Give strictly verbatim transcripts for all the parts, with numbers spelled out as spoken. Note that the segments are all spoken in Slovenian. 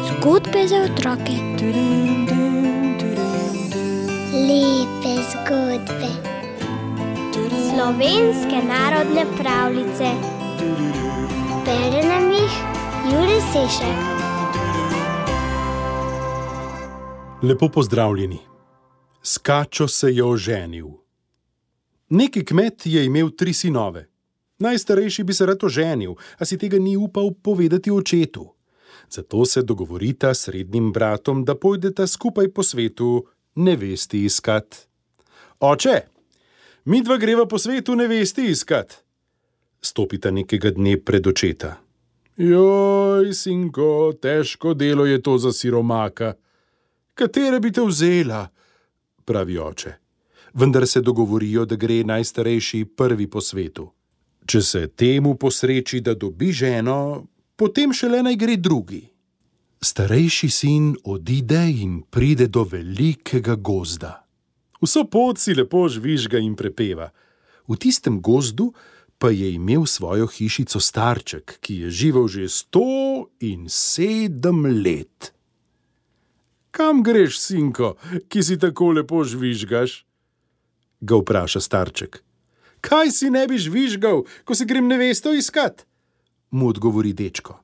Zgodbe za otroke. Lepe zgodbe. Slovenske narodne pravljice. Bere nam jih Jurij Sešek. Lepo pozdravljeni. S kačo se je oženil. Neki kmet je imel tri sinove. Najstarejši bi se rad oženil, a si tega ni upal povedati očetu. Zato se dogovorita s srednjim bratom, da pojdeta skupaj po svetu nevesti iskat. Oče, midva greva po svetu nevesti iskat. Stopita nekega dne pred očeta. Joj, sinko, težko delo je to za siromaka. Katere bi te vzela? Pravi oče. Vendar se dogovorijo, da gre najstarejši prvi po svetu. Če se temu posreči, da dobi ženo, potem šele naj gre drugi. Starejši sin odide in pride do velikega gozda. Vso pot si lepo žvižga in prepeva. V tistem gozdu pa je imel svojo hišico starček, ki je živel že sto in sedem let. Kam greš, sinko, ki si tako lepo žvižgaš? Ga vpraša starček. Kaj si ne bi žvižgal, ko se grem nevesto iskat? Mu odgovori dečko.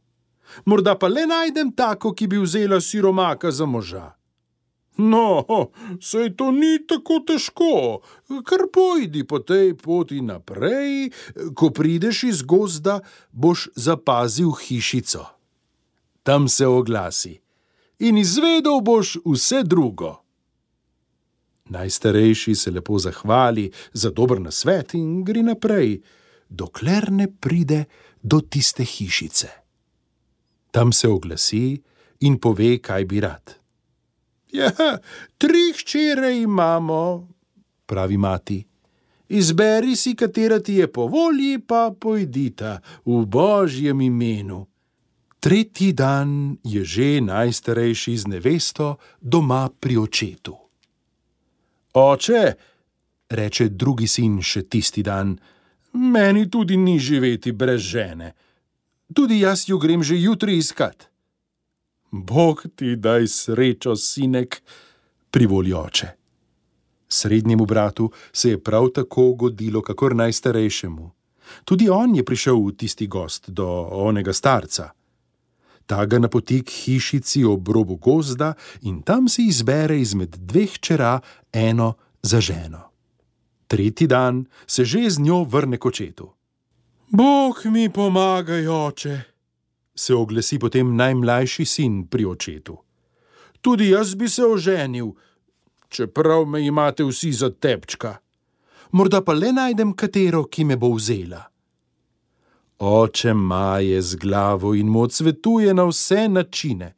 Morda pa le najdem tako, ki bi vzela siromaka za moža. No, saj to ni tako težko, kar pojdi po tej poti naprej, ko prideš iz gozda, boš zapazil hišico. Tam se oglasi in izvedel boš vse drugo. Najstarejši se lepo zahvali za dober nasvet in gre naprej, dokler ne pride do tiste hišice. Tam se oglasi in pove, kaj bi rad. Ja, tri hčere imamo, pravi mati. Izberi si, katera ti je po volji, pa pojdita v Božjem imenu. Tretji dan je že najstarejši z nevesto doma pri očetu. Oče, reče drugi sin še tisti dan, meni tudi ni živeti brez žene. Tudi jaz jo grem že jutri iskat. Bog ti daj srečo, sinek, privoli oče. Srednjemu bratu se je prav tako godilo, kakor najstarejšemu. Tudi on je prišel v tisti gost do onega starca. Ta ga napoti k hišici ob robu gozda in tam si izbere izmed dveh hčera eno za ženo. Tretji dan se že z njo vrne k očetu. Bog mi pomagaj, oče, se oglasi potem najmlajši sin pri očetu. Tudi jaz bi se oženil, čeprav me imate vsi za tepčka. Morda pa le najdem katero, ki me bo vzela. Oče maje z glavo in mu odsvetuje na vse načine.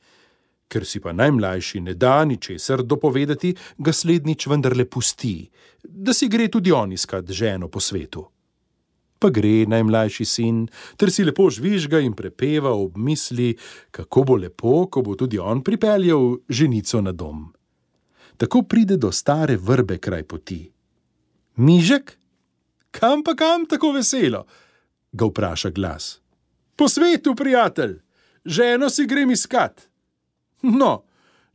Ker si pa najmlajši ne da ničesar dopovedati, ga slednjič vendarle pusti, da si gre tudi on iskat ženo po svetu. Pa gre najmlajši sin, ter si lepo žvižga in prepeva ob misli, kako bo lepo, ko bo tudi on pripeljal ženico na dom. Tako pride do stare vrbe kraj poti. Mižek, kam pa kam tako veselo? Ga vpraša glas. Po svetu, prijatelj, ženo si grem iskat. No,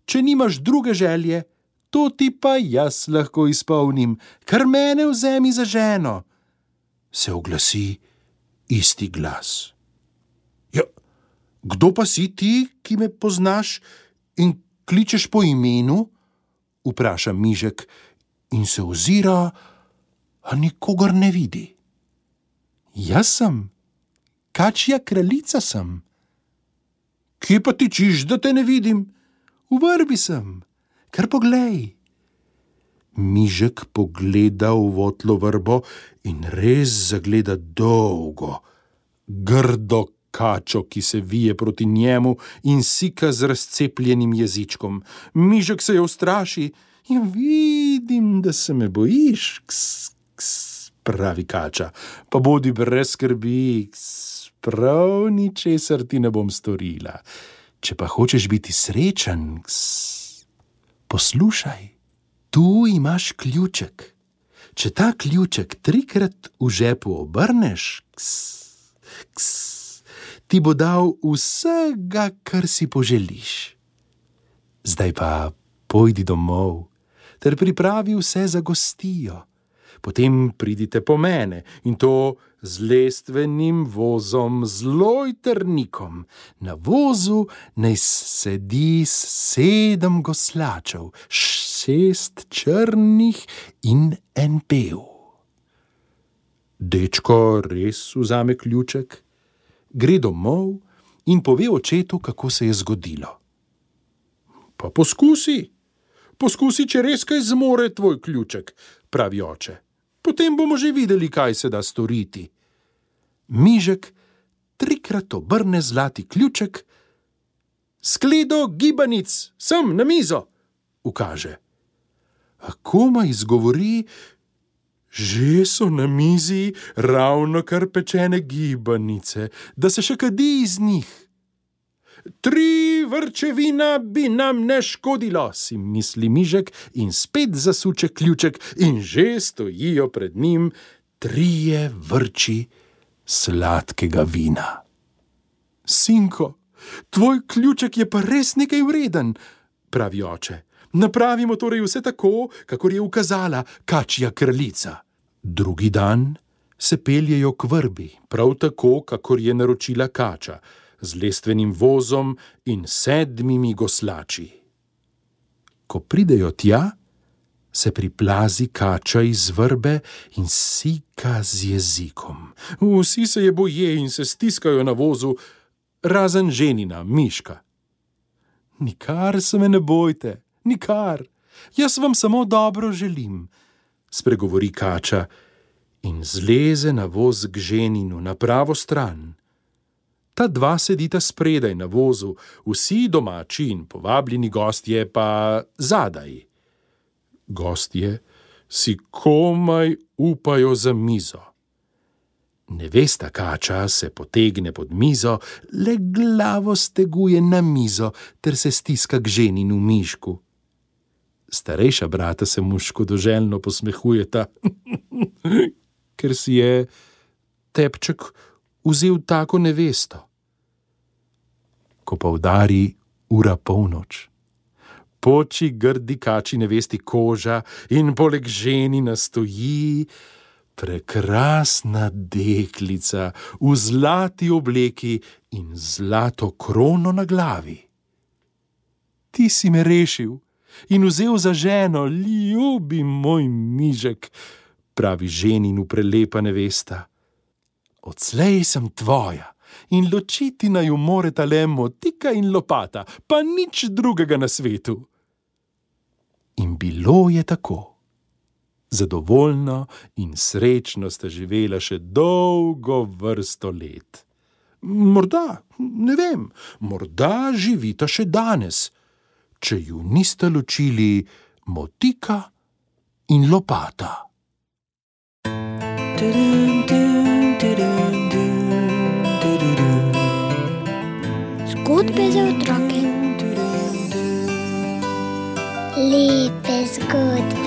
če nimaš druge želje, to ti pa jaz lahko izpolnim, kar mene vzemi za ženo. Se oglasi isti glas. Ja, kdo pa si ti, ki me poznaš in kličeš po imenu? Vpraša Mižek in se ozira, a nikogar ne vidi. Jaz sem, kačja kraljica sem. Kje pa tičiš, da te ne vidim? V vrbi sem, kar poglej. Mižek pogleda v votlo vrbo in res zagleda dolgo, grdo kačo, ki se vije proti njemu in sika z razcepljenim jezičkom. Mižek se je ustraši in vidim, da se me bojiš, ks, ks, pravi kača. Pa bodi brez skrbi, ks, prav ničesar ti ne bom storila. Če pa hočeš biti srečen, ks, poslušaj. Tu imaš ključek. Če ta ključek trikrat v žepu obrneš, ks, ks, ti bo dal vsega, kar si poželiš. Zdaj pa pojdi domov ter pripravi vse za gostijo. Potem pridite po mene in to z lestvenim vozom, z lojtrnikom. Na vozu naj sedi sedem goslačev, šest črnih in en bel. Dečko res vzame ključek, gre domov in pove očetu, kako se je zgodilo. Pa poskusi, poskusi, če res kaj zmore tvoj ključek, pravi oče. Potem bomo že videli, kaj se da storiti. Mižek trikrat obrne zlati ključek, skledo gibanic, sem na mizo, ukaže. A komaj izgovori, že so na mizi ravnokar pečene gibanice, da se še kadi iz njih. Tri vrčevina bi nam ne škodilo, si misli Mižek in spet zasuče ključek in že stojijo pred njim trije vrči sladkega vina. Sinko, tvoj ključek je pa res nekaj vreden, pravi oče. Napravimo torej vse tako, kakor je ukazala kačja kraljica. Drugi dan se peljejo k vrbi, prav tako, kakor je naročila kača, z lestvenim vozom in sedmimi goslači. Ko pridejo tja, se priplazi kača iz vrbe in sika z jezikom. Vsi se je boje in se stiskajo na vozu, razen ženina, Miška. Nikar se me ne bojte, nikar, jaz vam samo dobro želim, spregovori kača in zleze na voz k ženinu na pravo stran. Ta dva sedita spredaj na vozu, vsi domači in povabljeni gostje pa zadaj. Gostje si komaj upajo za mizo. Nevesta kača se potegne pod mizo, le glavo steguje na mizo ter se stiska k ženinu Mišku. Starejša brata se mu škodoželjno posmehujeta, ker si je Tepček vzel tako nevesto. Ko pa udari ura polnoč, poči grdi kači nevesti koža in poleg ženina stoji prekrasna deklica v zlati obleki in zlato krono na glavi. Ti si me rešil in vzel za ženo, ljubi moj Mižek, pravi ženinu prelepa nevesta. Odslej sem tvoja in ločiti naju moreta le motika in lopata, pa nič drugega na svetu. In bilo je tako. Zadovoljno in srečno sta živela še dolgo vrsto let. Morda, ne vem, morda živita še danes, če ju nista ločili motika in lopata. Zgodbe za otroke. Lepe zgodbe.